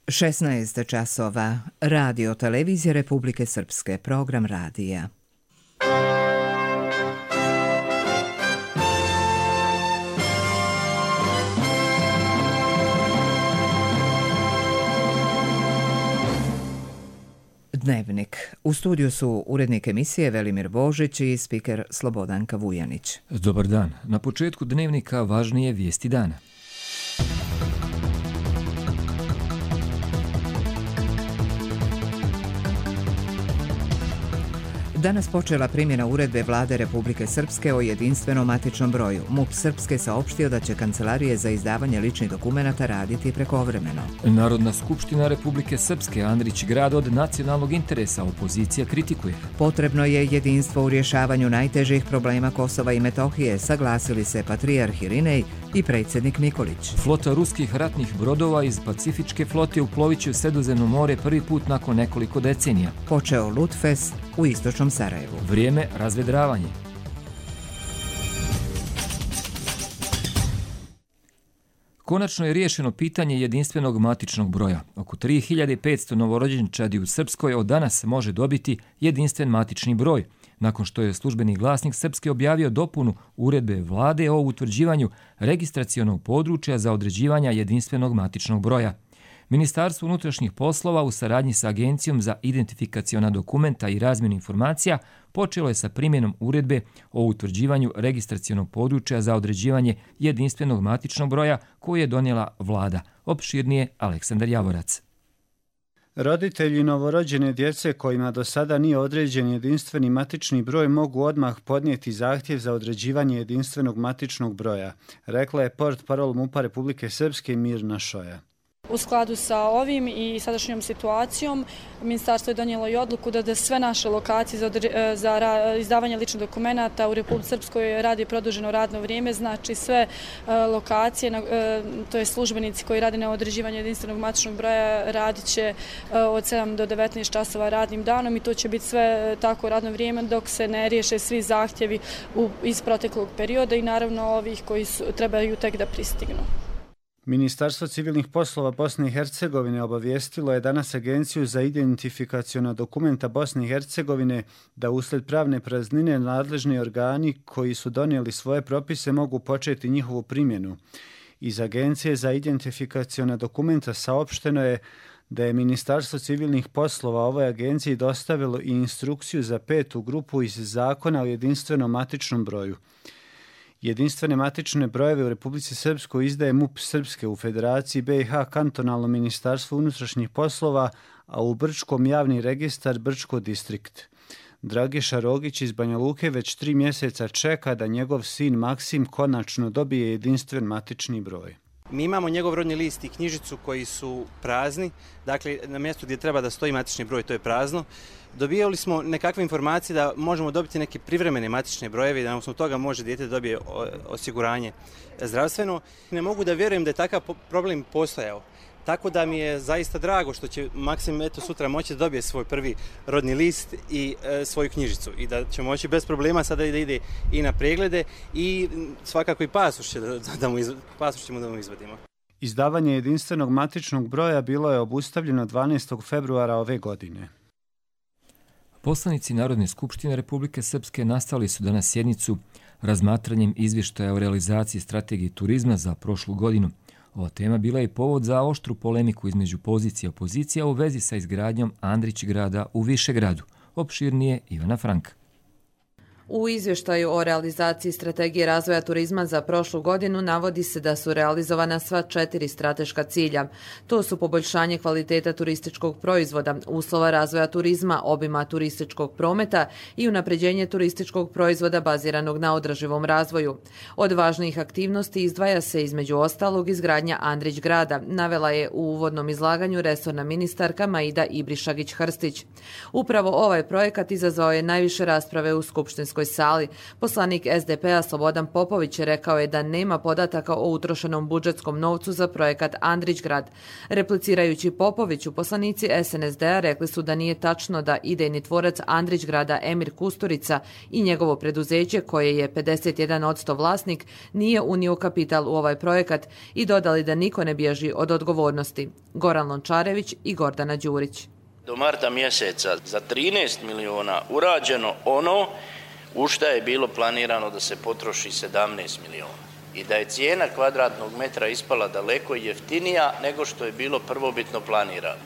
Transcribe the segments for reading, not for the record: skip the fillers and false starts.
16 časova. Radio Televizije Republike Srpske. Program radija. Dnevnik. U studiju su urednik emisije Velimir Božić i spiker Slobodanka Vujanić. Dobar dan. Na početku dnevnika važnije vijesti dana. Danas počela primjena uredbe Vlade Republike Srpske o jedinstvenom matičnom broju. MUP Srpske saopštio da će kancelarije za izdavanje ličnih dokumenata raditi prekovremeno. Narodna skupština Republike Srpske Andrić grad od nacionalnog interesa, opozicija kritikuje. Potrebno je jedinstvo u rješavanju najtežih problema Kosova i Metohije, saglasili se patrijarh Irinej i predsjednik Nikolić. Flota ruskih ratnih brodova iz Pacifičke flote uplovit će u Sredozemno more prvi put nakon nekoliko decenija. Počeo Lutfest u istočnom Sarajevu. Vrijeme razvedravanje. Konačno je riješeno pitanje jedinstvenog matičnog broja. Oko 3500 novorođenčadi u Srpskoj od danas može dobiti jedinstven matični broj, nakon što je službeni glasnik Srpske objavio dopunu uredbe Vlade o utvrđivanju registracionog područja za određivanje jedinstvenog matičnog broja. Ministarstvo unutrašnjih poslova u saradnji sa Agencijom za identifikaciona dokumenta i razmjenu informacija počelo je sa primjenom uredbe o utvrđivanju registracionog područja za određivanje jedinstvenog matičnog broja koju je donijela Vlada. Opširnije Aleksandar Javorac. Roditelji novorođene djece kojima do sada nije određen jedinstveni matični broj mogu odmah podnijeti zahtjev za određivanje jedinstvenog matičnog broja, rekla je portparol MUP-a Republike Srpske Mirna Šoja. U skladu sa ovim i sadašnjom situacijom, ministarstvo je donijelo i odluku da sve naše lokacije za izdavanje ličnih dokumenata u Republici Srpskoj radi produženo radno vrijeme, znači sve lokacije, to je službenici koji rade na određivanju jedinstvenog matičnog broja, radit će od 7 do 19 časova radnim danom i to će biti sve tako radno vrijeme dok se ne riješe svi zahtjevi iz proteklog perioda i naravno ovih koji trebaju tek da pristignu. Ministarstvo civilnih poslova Bosne i Hercegovine obavijestilo je danas Agenciju za identifikaciona dokumenta Bosne i Hercegovine da usled pravne praznine nadležni organi koji su donijeli svoje propise mogu početi njihovu primjenu. Iz Agencije za identifikaciona dokumenta saopšteno je da je Ministarstvo civilnih poslova ovoj agenciji dostavilo i instrukciju za 5. grupu iz Zakona o jedinstvenom matičnom broju. Jedinstvene matične brojeve u Republici Srpskoj izdaje MUP Srpske, u Federaciji BiH kantonalno ministarstvo unutrašnjih poslova, a u Brčkom javni registar Brčko distrikt. Dragiša Rogić iz Banja Luke već 3 mjeseca čeka da njegov sin Maksim konačno dobije jedinstven matični broj. Mi imamo njegov rodni list i knjižicu koji su prazni, dakle na mjestu gdje treba da stoji matični broj to je prazno. Dobijali smo nekakve informacije da možemo dobiti neke privremene matične brojeve i da na osnovu toga može dijete dobije osiguranje zdravstveno. Ne mogu da vjerujem da je takav problem postojao. Tako da mi je zaista drago što će Maksim sutra moći da dobije svoj prvi rodni list i svoju knjižicu i da će moći bez problema sada da ide i na preglede i svakako i pasoš ćemo da mu izvadimo. Izdavanje jedinstvenog matičnog broja bilo je obustavljeno 12. februara ove godine. Poslanici Narodne skupštine Republike Srpske nastavili su danas sjednicu razmatranjem izvještaja o realizaciji strategije turizma za prošlu godinu. Ova tema bila je povod za oštru polemiku između pozicije i opozicija u vezi sa izgradnjom Andrić grada u Višegradu. Opširnije Ivana Franka. U izvještaju o realizaciji strategije razvoja turizma za prošlu godinu navodi se da su realizovana sva 4 strateška cilja. To su poboljšanje kvaliteta turističkog proizvoda, uslova razvoja turizma, obima turističkog prometa i unapređenje turističkog proizvoda baziranog na održivom razvoju. Od važnijih aktivnosti izdvaja se između ostalog izgradnja Andrić grada, navela je u uvodnom izlaganju resorna ministarka Maida Ibrišagić-Hrstić. Upravo ovaj projekat izazvao je najviše rasprave u skupštinskom Srpskoj sali. Poslanik SDP-a Slobodan Popović rekao je da nema podataka o utrošenom budžetskom novcu za projekat Andrićgrad. Replicirajući Popoviću, poslanici SNSD-a rekli su da nije tačno da idejni tvorac Andrićgrada Emir Kusturica i njegovo preduzeće, koje je 51% vlasnik, nije unio kapital u ovaj projekat i dodali da niko ne bježi od odgovornosti. Goran Lončarević i Gordana Đurić. Do marta mjeseca za 13 miliona urađeno ono u šta je bilo planirano da se potroši 17 miliona. I da je cijena kvadratnog metra ispala daleko jeftinija nego što je bilo prvobitno planirano.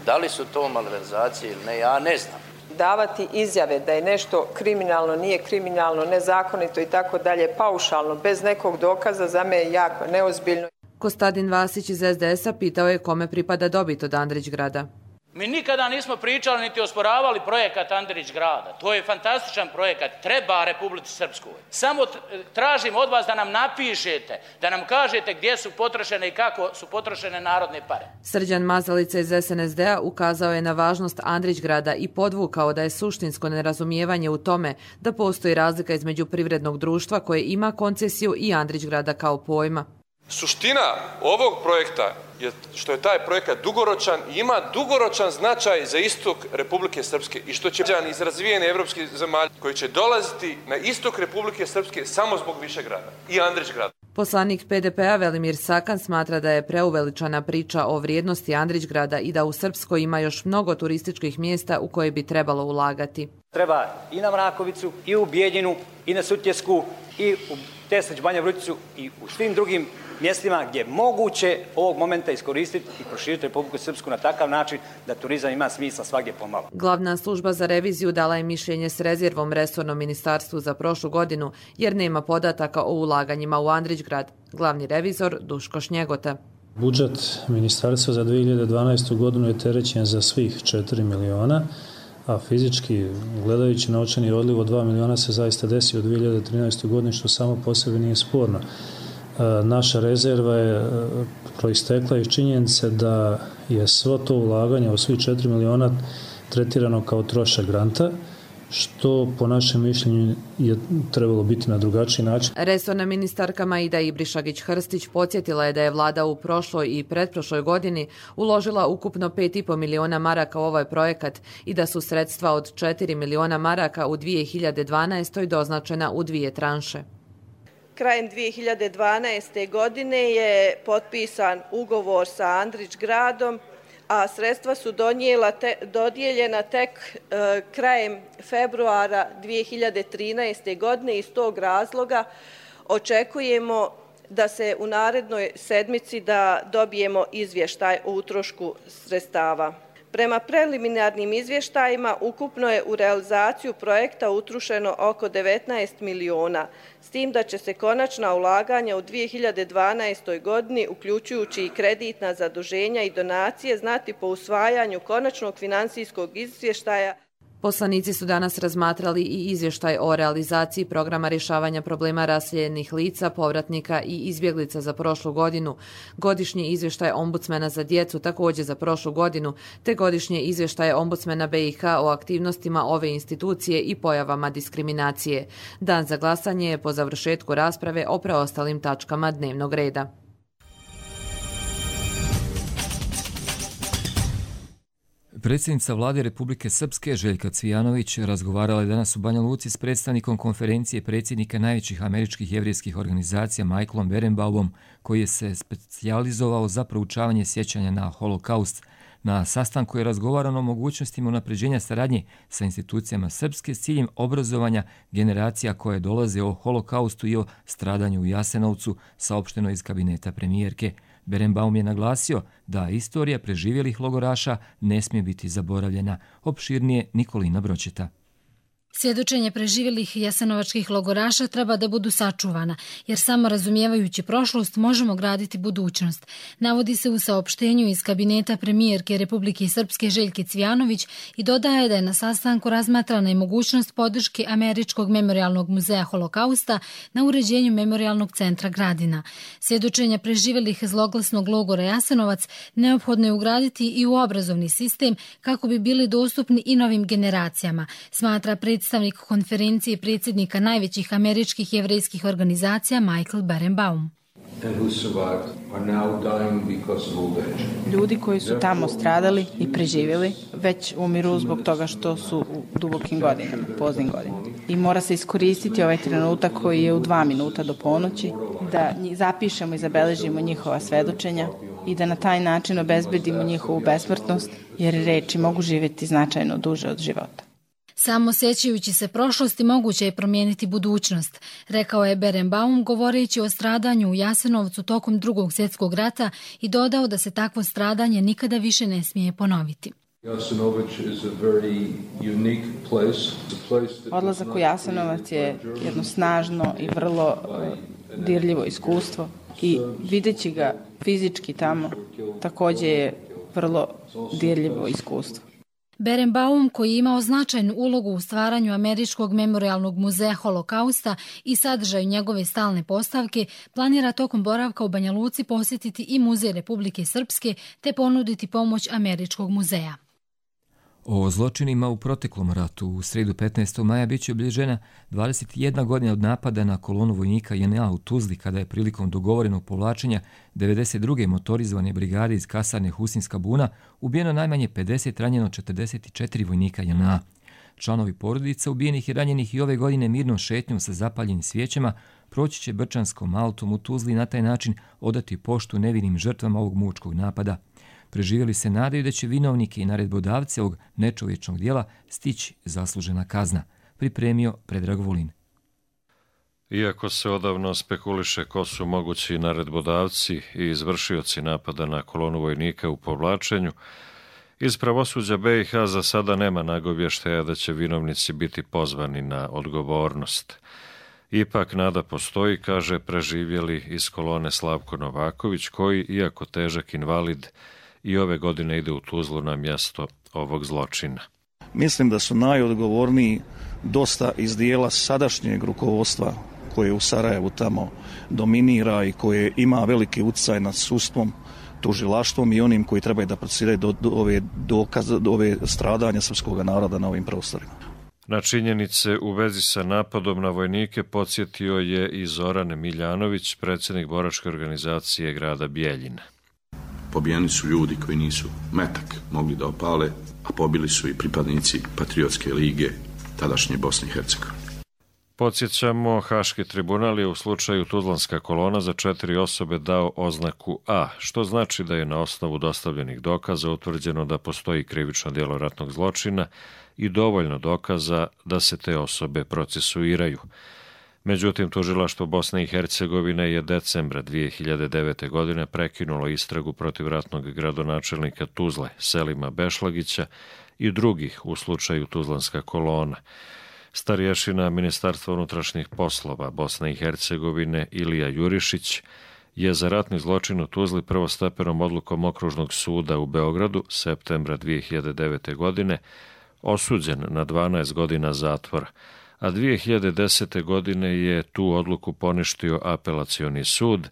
Da li su to malverzacije ili ne, ja ne znam. Davati izjave da je nešto kriminalno, nije kriminalno, nezakonito i tako dalje, paušalno, bez nekog dokaza, za me je jako neozbiljno. Kostadin Vasić iz SDS-a pitao je kome pripada dobit od Andrićgrada. Mi nikada nismo pričali niti osporavali projekat Andrićgrada. To je fantastičan projekat, treba Republici Srpskoj. Samo tražim od vas da nam napišete, da nam kažete gdje su potrošene i kako su potrošene narodne pare. Srđan Mazalica iz SNSD-a ukazao je na važnost Andrićgrada i podvukao da je suštinsko nerazumijevanje u tome da postoji razlika između privrednog društva koje ima koncesiju i Andrićgrada kao pojma. Suština ovog projekta je što je taj projekat dugoročan i ima dugoročan značaj za istok Republike Srpske i što će građani iz razvijene evropske zemalje koji će dolaziti na istok Republike Srpske samo zbog Višegrada i Andrićgrada. Poslanik PDP-a Velimir Sakan smatra da je preuveličana priča o vrijednosti Andrićgrada i da u Srpskoj ima još mnogo turističkih mjesta u koje bi trebalo ulagati. Treba i na Mrakovicu, i u Bijeljinu, i na Sutjesku, i u Teslić, Banja Vruticu i u svim drugim mjestima gdje je moguće ovog momenta iskoristiti i proširiti Republiku Srpsku na takav način da turizam ima smisla svagdje pomalo. Glavna služba za reviziju dala je mišljenje s rezervom resornom ministarstvu za prošlu godinu jer nema podataka o ulaganjima u Andrićgrad. Glavni revizor Duško Šnjegota. Budžet ministarstva za 2012. godinu je terećen za svih 4 miliona, a fizički gledajući novčani odliv od 2 miliona se zaista desio u 2013. godini, što samo po sebi nije sporno. Naša rezerva je proistekla iz činjenice da je svo to ulaganje u svih 4 miliona tretirano kao trošak granta, što po našem mišljenju je trebalo biti na drugačiji način. Resorna ministarka Maida Ibrišagić-Hrstić podsjetila je da je vlada u prošloj i pretprošloj godini uložila ukupno 5,5 miliona maraka u ovaj projekat i da su sredstva od 4 miliona maraka u 2012. doznačena u 2 tranše. Krajem 2012. godine je potpisan ugovor sa Andrićgradom, a sredstva su dodijeljena tek krajem februara 2013. godine. Iz tog razloga očekujemo da se u narednoj sedmici da dobijemo izvještaj o utrošku sredstava. Prema preliminarnim izvještajima ukupno je u realizaciju projekta utrošeno oko 19 miliona, s tim da će se konačna ulaganja u 2012. godini, uključujući i kreditna zaduženja i donacije, znati po usvajanju konačnog financijskog izvještaja. Poslanici su danas razmatrali i izvještaj o realizaciji programa rješavanja problema raseljenih lica, povratnika i izbjeglica za prošlu godinu, godišnji izvještaj ombudsmena za djecu također za prošlu godinu, te godišnje izvještaje ombudsmena BiH o aktivnostima ove institucije i pojavama diskriminacije. Dan za glasanje je po završetku rasprave o preostalim tačkama dnevnog reda. Predsjednica vlade Republike Srpske Željka Cvijanović razgovarala je danas u Banja Luci s predstavnikom konferencije predsjednika najvećih američkih jevrijskih organizacija Michaelom Berenbaumom, koji je se specijalizovao za proučavanje sjećanja na holokaust. Na sastanku je razgovarano o mogućnostima unapređenja saradnje sa institucijama Srpske s ciljem obrazovanja generacija koje dolaze o holokaustu i o stradanju u Jasenovcu, saopšteno iz kabineta premijerke. Berenbaum je naglasio da istorija preživjelih logoraša ne smije biti zaboravljena. Opširnije Nikolina Bročeta. Svjedočenje preživjelih jasenovačkih logoraša treba da budu sačuvana, jer samo razumijevajući prošlost možemo graditi budućnost. Navodi se u saopštenju iz kabineta premijerke Republike Srpske Željke Cvijanović i dodaje da je na sastanku razmatrana i mogućnost podrške Američkog memorijalnog muzeja holokausta na uređenju memorijalnog centra Gradina. Svjedočenja preživjelih zloglasnog logora Jasenovac neophodno je ugraditi i u obrazovni sistem kako bi bili dostupni i novim generacijama, smatra predsjednik predstavnik konferencije predsjednika najvećih američkih jevrejskih organizacija Michael Berenbaum. Ljudi koji su tamo stradali i preživjeli već umiru zbog toga što su u dubokim godinama, poznim godinama. I mora se iskoristiti ovaj trenutak koji je u 2 minuta do ponoći, da zapišemo i zabeležimo njihova svedočenja i da na taj način obezbedimo njihovu besmrtnost, jer reči mogu živjeti značajno duže od života. Samo sjećajući se prošlosti moguće je promijeniti budućnost, rekao je Berenbaum govoreći o stradanju u Jasenovcu tokom Drugog svjetskog rata i dodao da se takvo stradanje nikada više ne smije ponoviti. Odlazak u Jasenovac je jedno snažno i vrlo dirljivo iskustvo i videći ga fizički tamo također je vrlo dirljivo iskustvo. Berenbaum, koji je imao značajnu ulogu u stvaranju Američkog memorialnog muzeja Holokausta i sadržaju njegove stalne postavke, planira tokom boravka u Banja Luci posjetiti i Muzej Republike Srpske te ponuditi pomoć Američkog muzeja. O zločinima u proteklom ratu u srijedu 15. maja biće obilježena 21 godina od napada na kolonu vojnika JNA u Tuzli kada je prilikom dogovorenog povlačenja 92. motorizovane brigade iz kasarne Husinska buna ubijeno najmanje 50, ranjeno 44 vojnika JNA. Članovi porodica ubijenih i ranjenih i ove godine mirnom šetnjom sa zapaljenim svijećama proći će Brčanskom autom u Tuzli i na taj način odati poštu nevinim žrtvama ovog mučkog napada. Preživjeli se nadaju da će vinovnike i naredbodavci ovog nečovječnog dijela stići zaslužena kazna, pripremio Predrag Vulin. Iako se odavno spekuliše ko su mogući naredbodavci i izvršioci napada na kolonu vojnika u povlačenju, iz pravosuđa BiH za sada nema nagovještaja da će vinovnici biti pozvani na odgovornost. Ipak nada postoji, kaže preživjeli iz kolone Slavko Novaković, koji, iako težak invalid, i ove godine ide u Tuzlu na mjesto ovog zločina. Mislim da su najodgovorniji dosta iz dijela sadašnjeg rukovodstva koje u Sarajevu tamo dominira i koje ima veliki utjecaj nad sudstvom, tužilaštvom i onim koji trebaju da procesiraju do ove stradanja srpskog naroda na ovim prostorima. Na činjenice u vezi sa napadom na vojnike podsjetio je i Zoran Miljanović, predsjednik boračke organizacije grada Bijeljina. Pobijeni su ljudi koji nisu metak mogli da opale, a pobili su i pripadnici Patriotske lige tadašnje Bosne i Hercegovine. Podsjećamo, Haški tribunal je u slučaju Tuzlanska kolona za 4 osobe dao oznaku A, što znači da je na osnovu dostavljenih dokaza utvrđeno da postoji krivično djelo ratnog zločina i dovoljno dokaza da se te osobe procesuiraju. Međutim, tužilaštvo Bosne i Hercegovine je decembra 2009. godine prekinulo istragu protiv ratnog gradonačelnika Tuzle, Selima Bešlagića i drugih u slučaju Tuzlanska kolona. Starješina Ministarstva unutrašnjih poslova Bosne i Hercegovine Ilija Jurišić je za ratni zločin u Tuzli prvostepenom odlukom Okružnog suda u Beogradu septembra 2009. godine osuđen na 12 godina zatvora, a 2010. godine je tu odluku poništio apelacioni sud,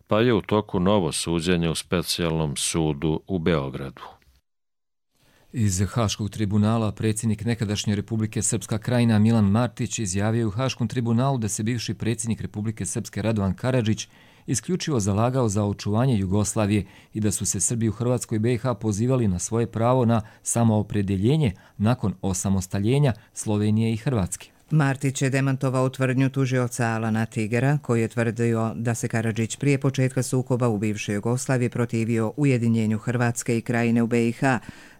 pa je u toku novo suđenje u specijalnom sudu u Beogradu. Iz Haškog tribunala predsjednik nekadašnje Republike Srpska Krajina Milan Martić izjavio u Haškom tribunalu da se bivši predsjednik Republike Srpske Radovan Karadžić isključivo zalagao za očuvanje Jugoslavije i da su se Srbi u Hrvatskoj i BiH pozivali na svoje pravo na samoopredjeljenje nakon osamostaljenja Slovenije i Hrvatske. Martić je demantovao tvrdnju tužioca Alana Tigera, koji je tvrdio da se Karadžić prije početka sukoba u bivšoj Jugoslaviji protivio ujedinjenju Hrvatske i Krajine u BiH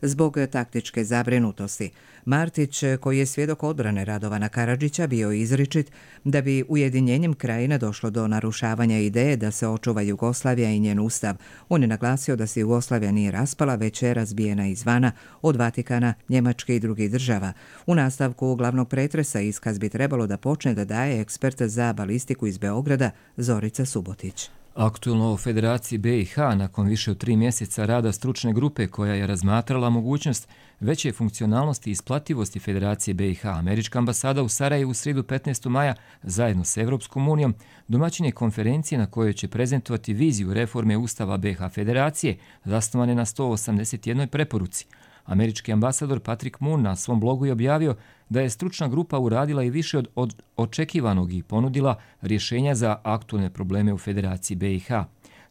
zbog taktičke zabrinutosti. Martić, koji je svjedok odbrane Radovana Karadžića, bio izričit da bi ujedinjenjem Krajine došlo do narušavanja ideje da se očuva Jugoslavija i njen ustav. On je naglasio da se Jugoslavija nije raspala, već je razbijena izvana od Vatikana, Njemačke i drugih država. U nastavku glavnog pretresa iskaz bi trebalo da počne da daje ekspert za balistiku iz Beograda Zorica Subotić. Aktualno o Federaciji BiH nakon više od 3 mjeseca rada stručne grupe koja je razmatrala mogućnost veće funkcionalnosti i isplativosti Federacije BiH, Američka ambasada u Sarajevu u srijedu 15. maja zajedno s Evropskom unijom domaćin je konferencije na kojoj će prezentovati viziju reforme Ustava BiH Federacije zasnovane na 181 preporuci. Američki ambasador Patrick Moon na svom blogu je objavio da je stručna grupa uradila i više od očekivanog i ponudila rješenja za aktualne probleme u Federaciji BiH.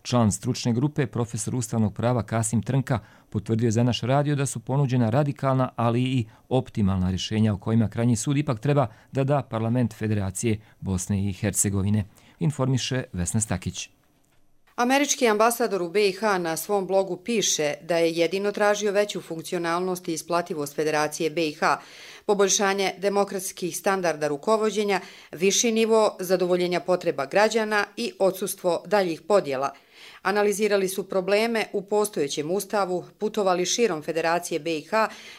Član stručne grupe, profesor ustavnog prava Kasim Trnka, potvrdio za naš radio da su ponuđena radikalna, ali i optimalna rješenja o kojima krajnji sud ipak treba da da parlament Federacije Bosne i Hercegovine, informiše Vesna Stakić. Američki ambasador u BiH na svom blogu piše da je jedino tražio veću funkcionalnost i isplativost Federacije BiH, poboljšanje demokratskih standarda rukovođenja, viši nivo zadovoljenja potreba građana i odsustvo daljih podjela. Analizirali su probleme u postojećem ustavu, putovali širom Federacije BiH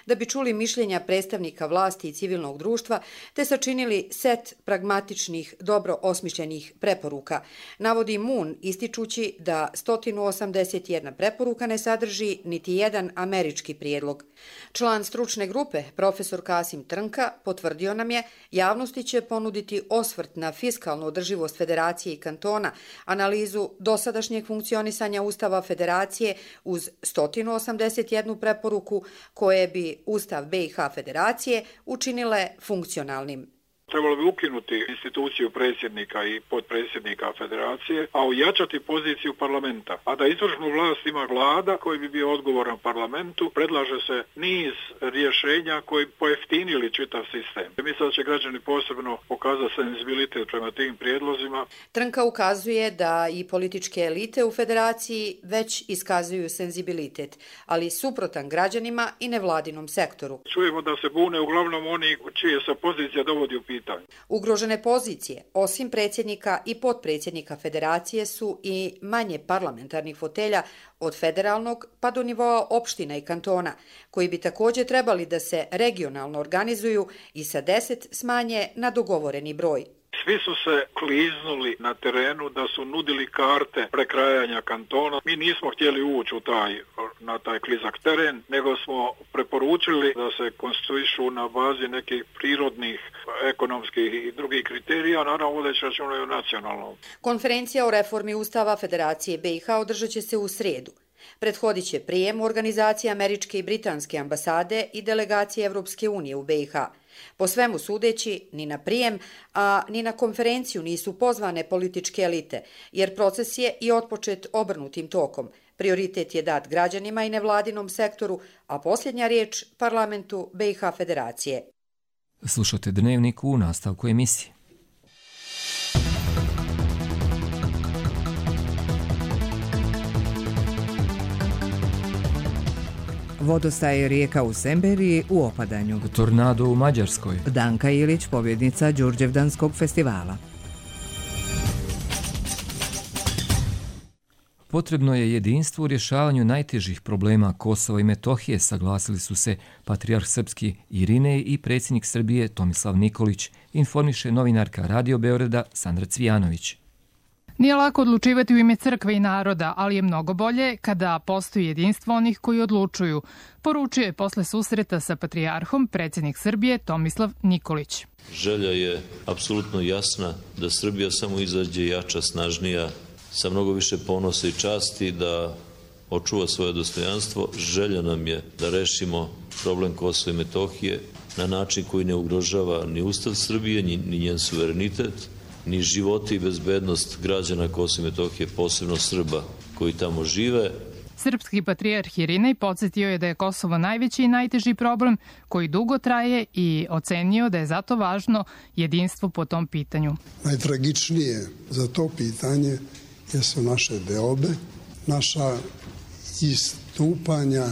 da bi čuli mišljenja predstavnika vlasti i civilnog društva, te sačinili set pragmatičnih, dobro osmišljenih preporuka. Navodi Moon ističući da 181 preporuka ne sadrži niti jedan američki prijedlog. Član stručne grupe, profesor Kasim Trnka, potvrdio nam je javnosti će ponuditi osvrt na fiskalnu održivost Federacije i kantona, analizu dosadašnjeg funkcionisanja Ustava Federacije uz 181 preporuku koje bi Ustav BiH Federacije učinile funkcionalnim. Trebalo bi ukinuti instituciju predsjednika i potpredsjednika federacije, a ojačati poziciju parlamenta. A da izvršnu vlast ima vlada koji bi bio odgovoran parlamentu, predlaže se niz rješenja koji pojeftinili čitav sistem. Mislim da će građani posebno pokazati senzibilitet prema tim prijedlozima. Trnka ukazuje da i političke elite u federaciji već iskazuju senzibilitet, ali suprotan građanima i nevladinom sektoru. Čujemo da se bune uglavnom oni čije se pozicija dovodi u pitanje. Ugrožene pozicije, osim predsjednika i potpredsjednika federacije, su i manje parlamentarnih fotelja od federalnog pa do nivoa opština i kantona, koji bi također trebali da se regionalno organizuju i sa 10 smanje na dogovoreni broj. Svi su se kliznuli na terenu da su nudili karte prekrajanja kantona. Mi nismo htjeli ući na taj klizak teren, nego smo preporučili da se konstituišu na bazi nekih prirodnih, ekonomskih i drugih kriterija, naravno vodeći računa i o nacionalnom. Konferencija o reformi Ustava Federacije BiH održat će se u srijedu. Prethodit će prijem u organizacije američke i britanske ambasade i delegacije Evropske unije u BiH. Po svemu sudeći, ni na prijem, a ni na konferenciju nisu pozvane političke elite, jer proces je i otpočet obrnutim tokom. Prioritet je dat građanima i nevladinom sektoru, a posljednja riječ parlamentu BiH Federacije. Slušate Dnevnik u nastavku emisije. Vodostaje rijeka u Semberiji u opadanju. Tornado u Mađarskoj. Danka Ilić, pobjednica Đurđevdanskog festivala. Potrebno je jedinstvo u rješavanju najtežih problema Kosova i Metohije, saglasili su se patrijarh srpski Irinej i predsjednik Srbije Tomislav Nikolić, informiše novinarka Radio Beograda Sandra Cvijanović. Nije lako odlučivati u ime crkve i naroda, ali je mnogo bolje kada postoji jedinstvo onih koji odlučuju, poručio je posle susreta sa patrijarhom predsjednik Srbije Tomislav Nikolić. Želja je apsolutno jasna da Srbija samo izađe jača, snažnija, sa mnogo više ponosa i časti, da očuva svoje dostojanstvo. Želja nam je da rešimo problem Kosova i Metohije na način koji ne ugrožava ni Ustav Srbije, ni njen suverenitet, ni živote i bezbednost građana Kosova i Metohije, posebno Srba koji tamo žive. Srpski patrijarh Irinej podsjetio je da je Kosovo najveći i najteži problem koji dugo traje i ocenio da je zato važno jedinstvo po tom pitanju. Najtragičnije za to pitanje jesu naše deobe, naša istupanja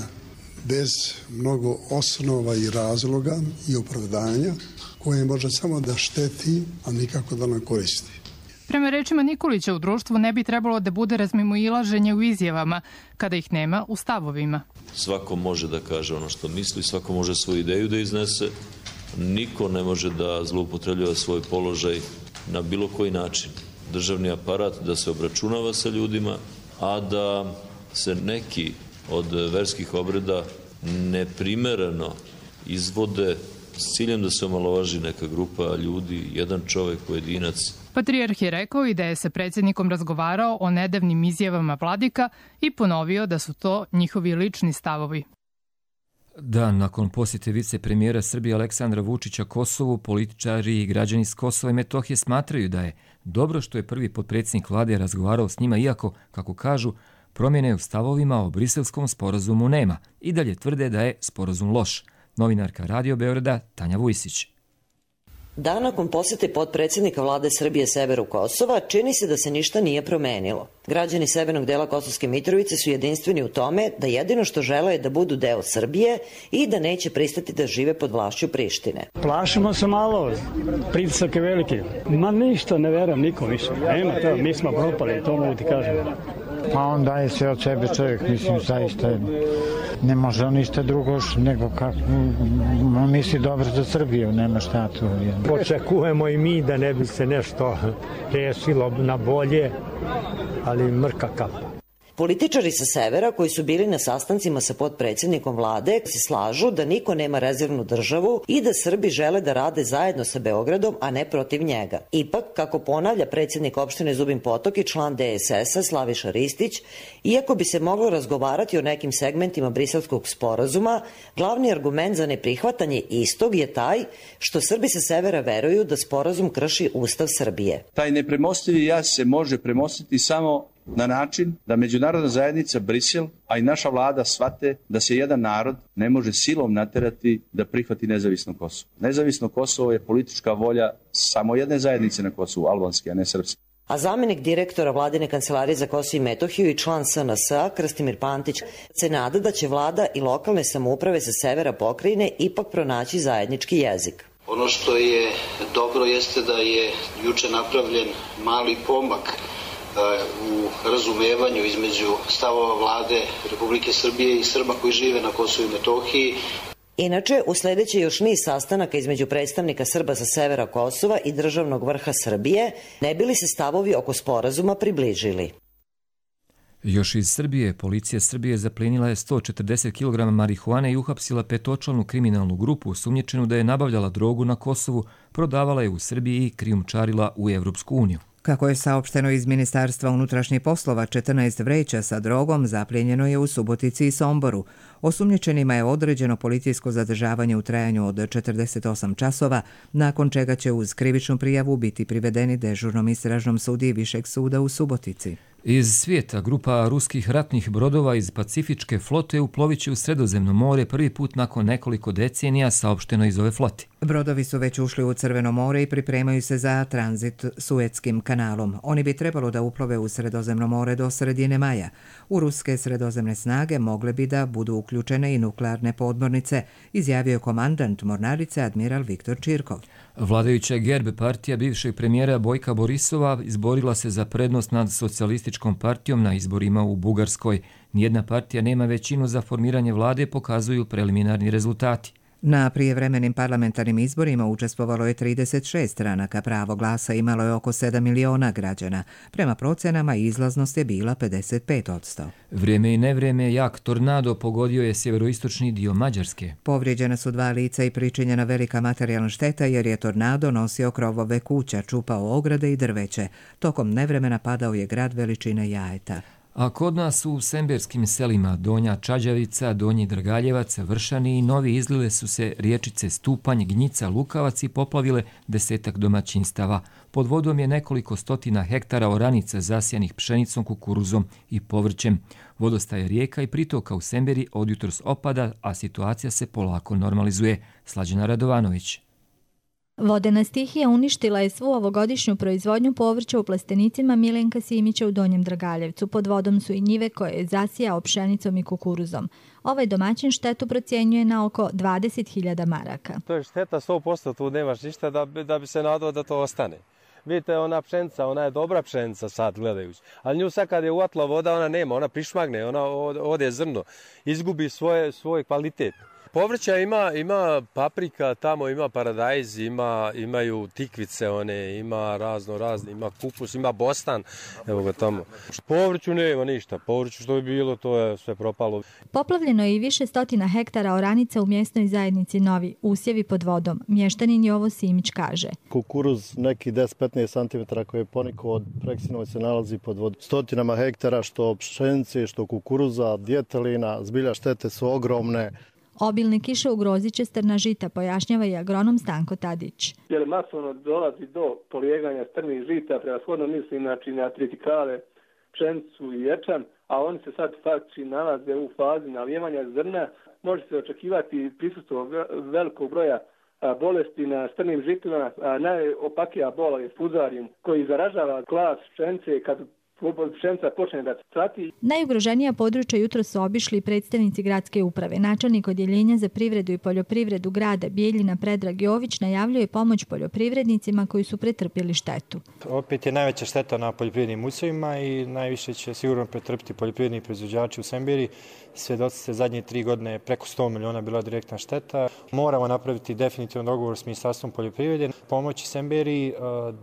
bez mnogo osnova i razloga i opravdanja, koje može samo da šteti, a nikako da nam koristi. Prema rečima Nikolića, u društvu ne bi trebalo da bude razmimoilaženje u izjavama, kada ih nema u stavovima. Svako može da kaže ono što misli, svako može svoju ideju da iznese, niko ne može da zloupotrebljava svoj položaj na bilo koji način. Državni aparat da se obračunava sa ljudima, a da se neki od verskih obreda neprimereno izvode s ciljem da se omalovaži neka grupa ljudi, jedan čovjek, pojedinac. Patrijarh je rekao i da je sa predsjednikom razgovarao o nedavnim izjavama vladika i ponovio da su to njihovi lični stavovi. Dan nakon posjete vicepremijera Srbije Aleksandra Vučića Kosovu, političari i građani s Kosova i Metohije smatraju da je dobro što je prvi potpredsjednik vlade razgovarao s njima, iako, kako kažu, promjene u stavovima o briselskom sporazumu nema. I dalje tvrde da je sporazum loš. Novinarka Radio Beograda Tanja Vujsić. Dan nakon posjete potpredsjednika vlade Srbije severu Kosova, čini se da se ništa nije promenilo. Građani severnog dela Kosovske Mitrovice su jedinstveni u tome da jedino što žele je da budu deo Srbije i da neće pristati da žive pod vlašću Prištine. Plašimo se malo, pritisak je veliki. Ma ništa, ne verujem nikom više. Nema to, mi smo propali, to mogu ti kažem. Pa on daje sve od sebe čovjek, mislim, zaista ne može on ništa drugo nego kako on misli dobro za Srbiju, nema šta tu. Očekujemo i mi da ne bi se nešto rešilo na bolje, ali mrka kapa. Političari sa severa koji su bili na sastancima sa potpredsjednikom vlade se slažu da niko nema rezervnu državu i da Srbi žele da rade zajedno sa Beogradom, a ne protiv njega. Ipak, kako ponavlja predsjednik opštine Zubin Potok i član DSS-a Slaviša Ristić, iako bi se moglo razgovarati o nekim segmentima briselskog sporazuma, glavni argument za neprihvatanje istog je taj što Srbi sa severa veruju da sporazum krši Ustav Srbije. Taj nepremostivi jaz se može premostiti samo na način da međunarodna zajednica Brisel, a i naša vlada shvate da se jedan narod ne može silom naterati da prihvati nezavisno Kosovo. Nezavisno Kosovo je politička volja samo jedne zajednice na Kosovu, albanske, a ne srpske. A zamjenik direktora vladine kancelarije za Kosovo i Metohiju i član SNS-a Krstimir Pantić se nada da će vlada i lokalne samouprave sa severa pokrajine ipak pronaći zajednički jezik. Ono što je dobro jeste da je juče napravljen mali pomak u razumevanju između stavova vlade Republike Srbije i Srba koji žive na Kosovu i Metohiji. Inače, usledeće još niz sastanaka između predstavnika Srba sa severa Kosova i državnog vrha Srbije, ne bi li se stavovi oko sporazuma približili. Još iz Srbije, policija Srbije zaplenila je 140 kg marihuane i uhapsila petočlanu kriminalnu grupu sumnjičenu da je nabavljala drogu na Kosovu, prodavala je u Srbiji i krijumčarila u Evropsku uniju. Kako je saopšteno iz Ministarstva unutrašnjih poslova, 14 vreća sa drogom zapljenjeno je u Subotici i Somboru. Osumnjičenima je određeno policijsko zadržavanje u trajanju od 48 časova, nakon čega će uz krivičnu prijavu biti privedeni dežurnom istražnom sudiji Višeg suda u Subotici. Iz svijeta grupa ruskih ratnih brodova iz Pacifičke flote uplovit će u Sredozemno more prvi put nakon nekoliko decenija, saopšteno iz ove flote. Brodovi su već ušli u Crveno more i pripremaju se za tranzit Suetskim kanalom. Oni bi trebalo da uplove u Sredozemno more do sredine maja. U ruske sredozemne snage mogle bi da budu uključene i nuklearne podmornice, izjavio je komandant mornarice admiral Viktor Čirkov. Vladajuća Gerb partija bivšeg premijera Bojka Borisova izborila se za prednost nad socijalističkom partijom na izborima u Bugarskoj. Nijedna partija nema većinu za formiranje vlade, pokazuju preliminarni rezultati. Na prijevremenim parlamentarnim izborima učestvovalo je 36 stranaka, pravo glasa imalo je oko 7 miliona građana. Prema procenama izlaznost je bila 55%. Vrijeme i nevrijeme jak tornado pogodio je sjeveroistočni dio Mađarske. Povrijeđena su 2 lica i pričinjena velika materijalna šteta jer je tornado nosio krovove kuća, čupao ograde i drveće. Tokom nevremena padao je grad veličine jajeta. A kod nas u semberskim selima Donja Čađavica, Donji Drgaljevac, Vršani i Novi izlile su se riječice Stupanj, Gnjica, Lukavac i poplavile 10 domaćinstava. Pod vodom je nekoliko stotina hektara oranica zasjanih pšenicom, kukuruzom i povrćem. Vodostaje rijeka i pritoka u Semberi od jutros opada, a situacija se polako normalizuje. Slađana Radovanović. Vodena stihija uništila je svu ovogodišnju proizvodnju povrća u plastenicima Milenka Simića u Donjem Dragaljevcu. Pod vodom su i njive koje je zasijao pšenicom i kukuruzom. Ovaj domaćin štetu procjenjuje na oko 20.000 maraka. To je šteta 100%, tu nemaš ništa da bi se nadao da to ostane. Vidite, ona pšenica, ona je dobra pšenica sad gledajući, ali nju sad kad je uvatla voda, ona nema, ona prišmagne, ona ode zrno, izgubi svoj kvalitet. Povrća ima paprika, tamo ima paradajz, imaju tikvice, ima razne, ima kupus, ima bostan, evo ga tamo. Povrću nema ništa, povrću što bi bilo, to je sve propalo. Poplavljeno je i više stotina hektara oranica u mjesnoj zajednici Novi, usjevi pod vodom. Mještanin Jovo Simić kaže. Kukuruz neki 10-15 cm koji je ponikao od Preksinova se nalazi pod vodom. Stotinama hektara što pšenice, što kukuruza, djetelina, zbilja štete su ogromne. Obilne kiše ugrozit će strna žita, pojašnjava i agronom Stanko Tadić. Jer masovno dolazi do polijeganja strnih žita, prevashodno mislim na tritikale, pšenicu i ječam, a oni se sad faktički nalaze u fazi nalijevanja zrna. Može se očekivati prisustvo velikog broja bolesti na strnim žitima. Najopakija bola je fuzarium koji zaražava klas pšenice kad pšenica počne da cvati. Najugroženija područja jutro su obišli predstavnici gradske uprave. Načelnik odjeljenja za privredu i poljoprivredu grada Bijeljina Predrag Jović najavljuje pomoć poljoprivrednicima koji su pretrpjeli štetu. Opet je najveća šteta na poljoprivrednim usjevima i najviše će sigurno pretrpiti poljoprivredni proizvođači u Semberi. Svjedoci ste zadnje 3 godine preko 100 miliona bila direktna šteta. Moramo napraviti definitivno dogovor s Ministarstvom poljoprivrede, pomoći Semberi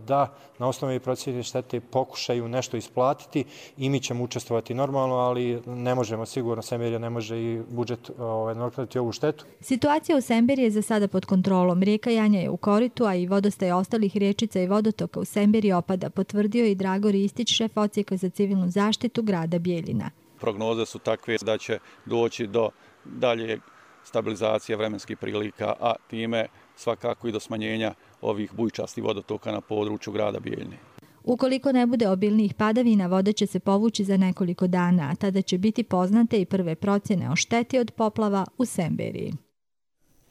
da na osnovi procjene štete pokušaju nešto isplatiti i mi ćemo učestvovati normalno, ali ne možemo sigurno, Semberija ne može i budžet nadoknaditi ovu štetu. Situacija u Semberi je za sada pod kontrolom. Rijeka Janja je u koritu, a i vodostaj ostalih riječica i vodotoka u Semberi opada, potvrdio i Drago Ristić, šef odsjeka za civilnu zaštitu grada Bijeljina. Prognoze su takve da će doći do dalje stabilizacije vremenskih prilika, a time svakako i do smanjenja ovih bujčastih vodotoka na području grada Bijeljine. Ukoliko ne bude obilnijih padavina, voda će se povući za nekoliko dana, a tada će biti poznate i prve procjene o šteti od poplava u Semberiji.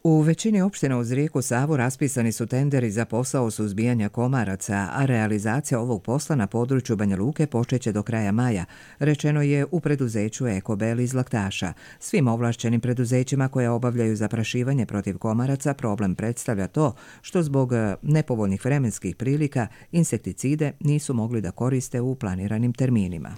U većini opština uz rijeku Savu raspisani su tenderi za posao suzbijanja komaraca, a realizacija ovog posla na području Banja Luke počeće do kraja maja, rečeno je u preduzeću Ekobel iz Laktaša. Svim ovlašćenim preduzećima koja obavljaju zaprašivanje protiv komaraca problem predstavlja to što zbog nepovoljnih vremenskih prilika insekticide nisu mogli da koriste u planiranim terminima.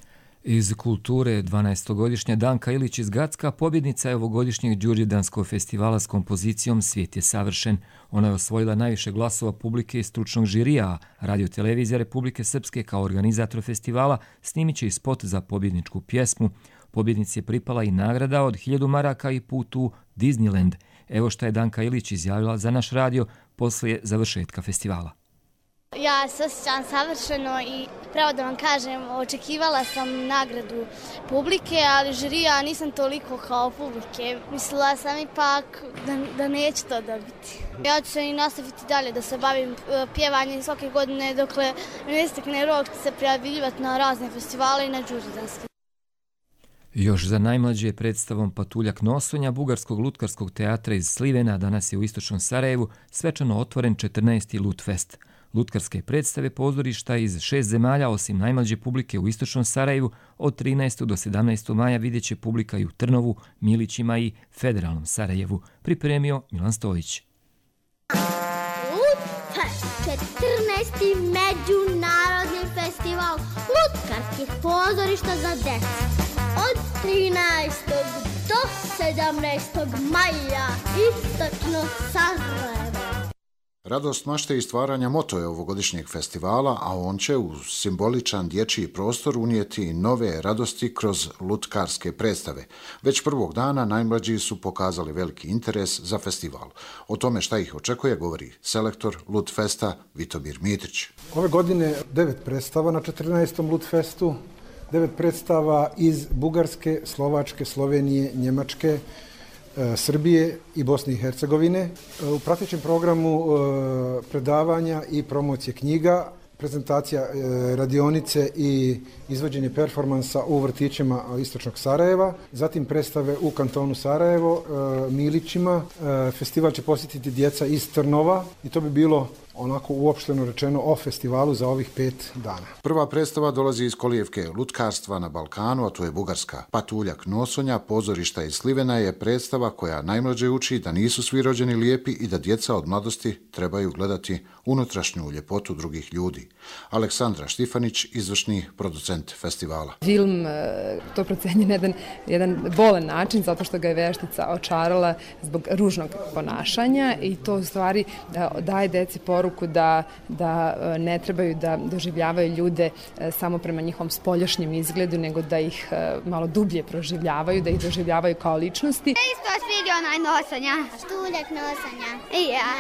Iz kulture 12-godišnja Danka Ilić iz Gacka pobjednica je ovogodišnjeg Đurđevdanskog festivala s kompozicijom Svijet je savršen. Ona je osvojila najviše glasova publike i stručnog žirija, Radio-televizija Republike Srpske kao organizator festivala snimit će i spot za pobjedničku pjesmu. Pobjednici je pripala i nagrada od 1000 maraka i put u Disneyland. Evo šta je Danka Ilić izjavila za naš radio poslije završetka festivala. Ja se osjećam savršeno i pravo da vam kažem, očekivala sam nagradu publike, ali žirija nisam toliko kao publike. Mislila sam ipak da neću to dobiti. Ja ću se i nastaviti dalje da se bavim pjevanjem svake godine dokle ne istekne rok se prijavljivati na razne festivale i na Đurđevdanske. Još za najmlađe predstavom Patuljak nosonja Bugarskog lutkarskog teatra iz Slivena danas je u istočnom Sarajevu svečano otvoren 14. Lutfest. Lutkarske predstave pozorišta iz 6 zemalja, osim najmlađe publike u istočnom Sarajevu, od 13. do 17. maja vidjet će publika i u Trnovu, Milićima i Federalnom Sarajevu, pripremio Milan Stojić. Lutfest, 14. međunarodni festival lutkarskih pozorišta za djecu. Od 13. do 17. maja, istočno Sarajevo. Radost mašte i stvaranja moto je ovogodišnjeg festivala, a on će u simboličan dječji prostor unijeti nove radosti kroz lutkarske predstave. Već prvog dana najmlađi su pokazali veliki interes za festival. O tome šta ih očekuje govori selektor Lutfesta Vitomir Mitrić. Ove godine 9 predstava na 14. Lutfestu, 9 predstava iz Bugarske, Slovačke, Slovenije, Njemačke, Srbije i Bosne i Hercegovine. U pratećem programu predavanja i promocije knjiga, prezentacija radionice i izvođenje performansa u vrtićima istočnog Sarajeva, zatim predstave u kantonu Sarajevo, Milićima. Festival će posjetiti djeca iz Trnova i to bi bilo onako uopšteno rečeno o festivalu za ovih 5 dana. Prva predstava dolazi iz kolijevke lutkarstva na Balkanu, a to je Bugarska. Patuljak nosonja, pozorišta iz Slivena je predstava koja najmlađe uči da nisu svi rođeni lijepi i da djeca od mladosti trebaju gledati unutrašnju ljepotu drugih ljudi. Aleksandra Štifanić, izvršni producent festivala. Film to procenje na jedan bolan način, zato što ga je veštica očarala zbog ružnog ponašanja i to u stvari daje deci poruku da ne trebaju da doživljavaju ljude samo prema njihovom spoljašnjem izgledu, nego da ih malo dublje proživljavaju, da ih doživljavaju kao ličnosti. Isto svidio onaj nosanja. Štuljak nosanja. I ja.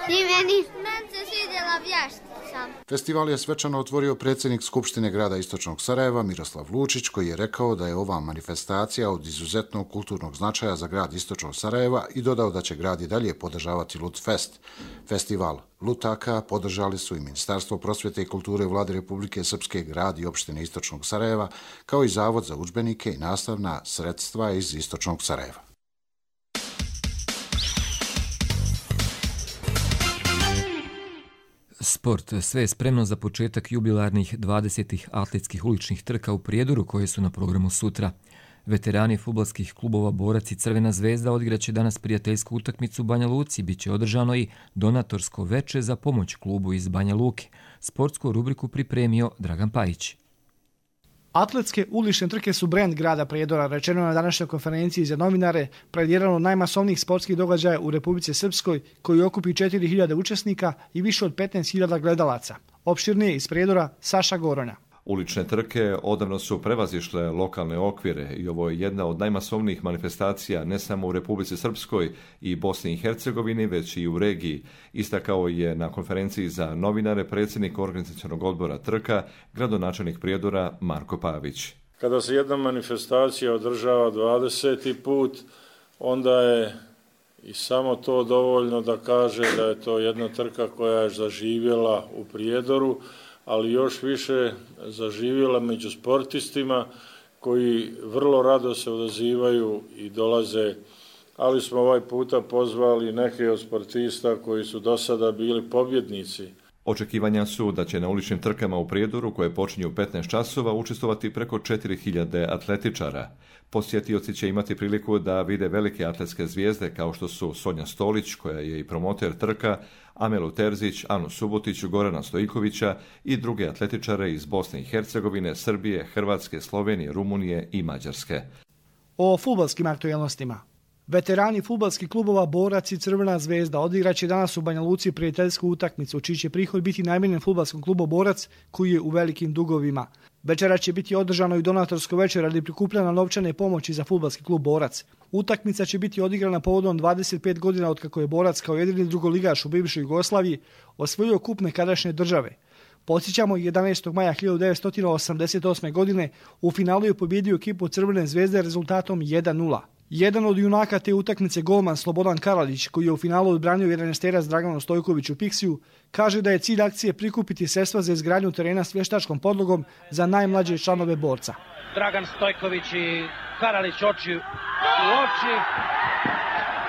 I meni. Meni se svidjela vještica. sam. Festival je svečano otvorio predsjednik Skupštine grada Istočnog Sarajeva Miroslav Lučić, koji je rekao da je ova manifestacija od izuzetnog kulturnog značaja za grad Istočnog Sarajeva i dodao da će grad i dalje podržavati Lutfest. Festival lutaka podržali su i Ministarstvo prosvjete i kulture Vlade Republike Srpske, grad i opštine Istočnog Sarajeva, kao i Zavod za udžbenike i nastavna sredstva iz Istočnog Sarajeva. Sport. Sve je spremno za početak jubilarnih 20. atletskih uličnih trka u Prijedoru koje su na programu sutra. Veterani fudbalskih klubova Borac i Crvena zvezda odigraće danas prijateljsku utakmicu u Banja Luci. Biće održano i donatorsko veče za pomoć klubu iz Banja Luke. Sportsku rubriku pripremio Dragan Pajić. Atletske ulične trke su brend grada Prijedora, rečeno na današnjoj konferenciji za novinare, pred jedan od najmasovnijih sportskih događaja u Republici Srpskoj, koji okupi 4.000 učesnika i više od 15.000 gledalaca. Opširnije iz Prijedora, Saša Goronja. Ulične trke odavno su prevazišle lokalne okvire i ovo je jedna od najmasovnijih manifestacija ne samo u Republici Srpskoj i Bosni i Hercegovini, već i u regiji. Istakao je na konferenciji za novinare predsjednik organizacionog odbora trka, gradonačelnik Prijedora Marko Pavić. Kada se jedna manifestacija održava 20. put, onda je i samo to dovoljno da kaže da je to jedna trka koja je zaživjela u Prijedoru, ali još više zaživjela među sportistima koji vrlo rado se odazivaju i dolaze, ali smo ovaj puta pozvali neke od sportista koji su do sada bili pobjednici. Očekivanja su da će na uličnim trkama u Prijedoru, koje počinju u 15 časova, učestvovati preko 4.000 atletičara. Posjetioci će imati priliku da vide velike atletske zvijezde kao što su Sonja Stolić, koja je i promoter trka, Amelu Terzić, Anu Subotić, Gorana Stojkovića i druge atletičare iz Bosne i Hercegovine, Srbije, Hrvatske, Slovenije, Rumunije i Mađarske. O fudbalskim aktualnostima. Veterani fudbalskih klubova Borac i Crvena zvezda odigraće danas u Banja Luci prijateljsku utakmicu, čiji će prihod biti namijenjen fudbalskom klubu Borac, koji je u velikim dugovima. Večera će biti održano i donatorsko večer radi prikupljanja novčane pomoći za fudbalski klub Borac. Utakmica će biti odigrana povodom 25 godina od kako je Borac kao jedini drugoligaš u bivšoj Jugoslaviji osvojio kup nekadašnje države. Podsjećamo, 11. maja 1988. godine u finalu je pobjedio ekipu Crvene zvezde rezultatom 1:0. Jedan od junaka te utakmice, golman Slobodan Karalić, koji je u finalu odbranio 11-terac Draganu Stojkoviću Piksiju, kaže da je cilj akcije prikupiti sredstva za izgradnju terena s vještačkom podlogom za najmlađe članove Borca. Dragan Stojković i Karalić oči u oči,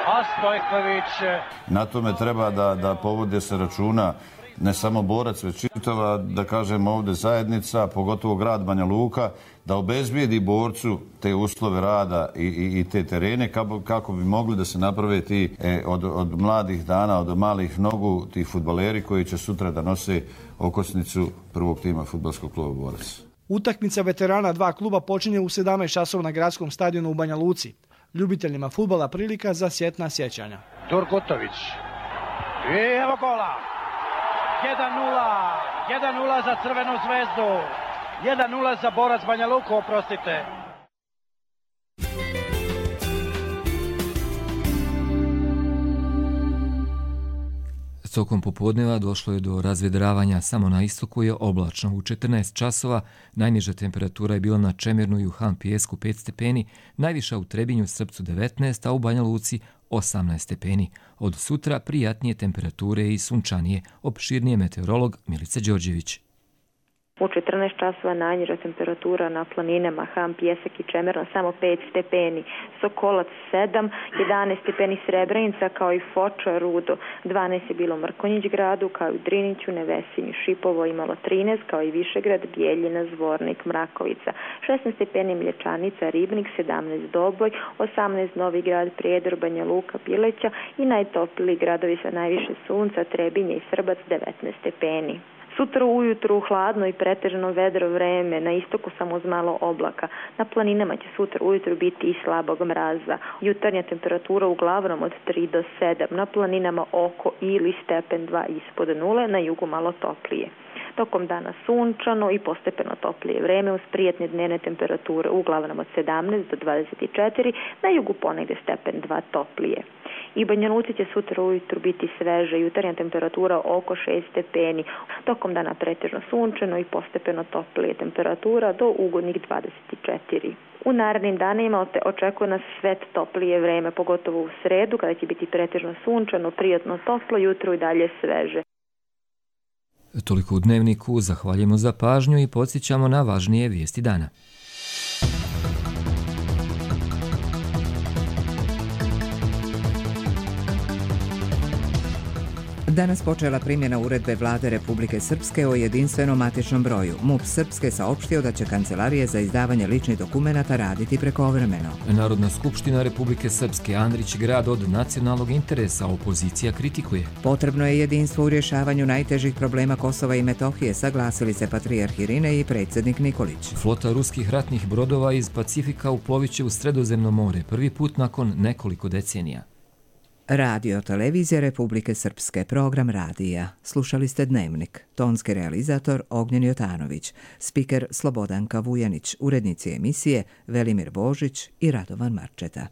a Stojković... Na tome treba da povode se računa ne samo Borac, već čitava, da kažem ovdje, zajednica, pogotovo grad Banja Luka, da obezbijedi Borcu te uslove rada i te terene kako bi mogli da se naprave ti od mladih dana, od malih nogu, ti fudbaleri koji će sutra da nose okosnicu prvog tima fudbalskog kluba Borac. Utakmica veterana dva kluba počinje u 17 časova na gradskom stadionu u Banja Luci. Ljubiteljima fudbala prilika za sjetna sjećanja. Turgutović. I evo gola. 1:0 za Crvenu zvezdu. 1:0 za Borac Banja Luku, oprostite. Tokom popodneva došlo je do razvedravanja, samo na istoku je oblačno. U 14 časova najniža temperatura je bila na Čemirnu i u Han Pijesku 5 stepeni, najviša u Trebinju, Srpcu 19, a u Banja Luci 18 stepeni. Od sutra prijatnije temperature i sunčanije, opširnije meteorolog Milica Đorđević. U 14 časova najniža temperatura na planinama Han, Pijesak i Čemerno samo 5 stepeni, Sokolac 7, 11 stepeni Srebrenica kao i Foča, Rudo, 12 je bilo Mrkonjić gradu kao i Driniću, Nevesinju, Šipovo imalo 13 kao i Višegrad, Bijeljina, Zvornik, Mrakovica, 16 stepeni Mlječanica, Ribnik, 17 Doboj, 18 Novi grad, Prijedor, Banja Luka, Pileća i najtopliji gradovi sa najviše sunca, Trebinje i Srbac 19 stepeni. Sutra ujutru hladno i pretežno vedro vreme, na istoku samo uz malo oblaka. Na planinama će sutra ujutru biti i slabog mraza. Jutarnja temperatura uglavnom od 3 do 7, na planinama oko ili stepen 2 ispod nule, na jugu malo toplije. Tokom dana sunčano i postepeno toplije vreme uz prijatne dnevne temperature uglavnom od 17 do 24, na jugu ponegde stepen 2 toplije. I Banja Luci će sutra ujutru biti sveže, jutarnja temperatura oko 6 stepeni, tokom dana pretežno sunčano i postepeno toplije temperatura do ugodnih 24. U narednim danima očekuje nas sve toplije vreme, pogotovo u sredu kada će biti pretežno sunčano, prijatno toplo, jutro i dalje sveže. Toliko u Dnevniku, zahvaljujemo za pažnju i podsjećamo na važnije vijesti dana. Danas počela primjena uredbe Vlade Republike Srpske o jedinstvenom matičnom broju. MUP Srpske saopštio da će kancelarije za izdavanje ličnih dokumenata raditi prekovremeno. Narodna skupština Republike Srpske Andrić grad od nacionalnog interesa, opozicija kritikuje. Potrebno je jedinstvo u rješavanju najtežih problema Kosova i Metohije, saglasili se patrijarh Irine i predsjednik Nikolić. Flota ruskih ratnih brodova iz Pacifika uplovit će u Sredozemno more, prvi put nakon nekoliko decenija. Radio Televizija Republike Srpske, program radija. Slušali ste Dnevnik. Tonski realizator Ognjen Jotanović, spiker Slobodanka Vujanić, urednici emisije Velimir Božić i Radovan Marčeta.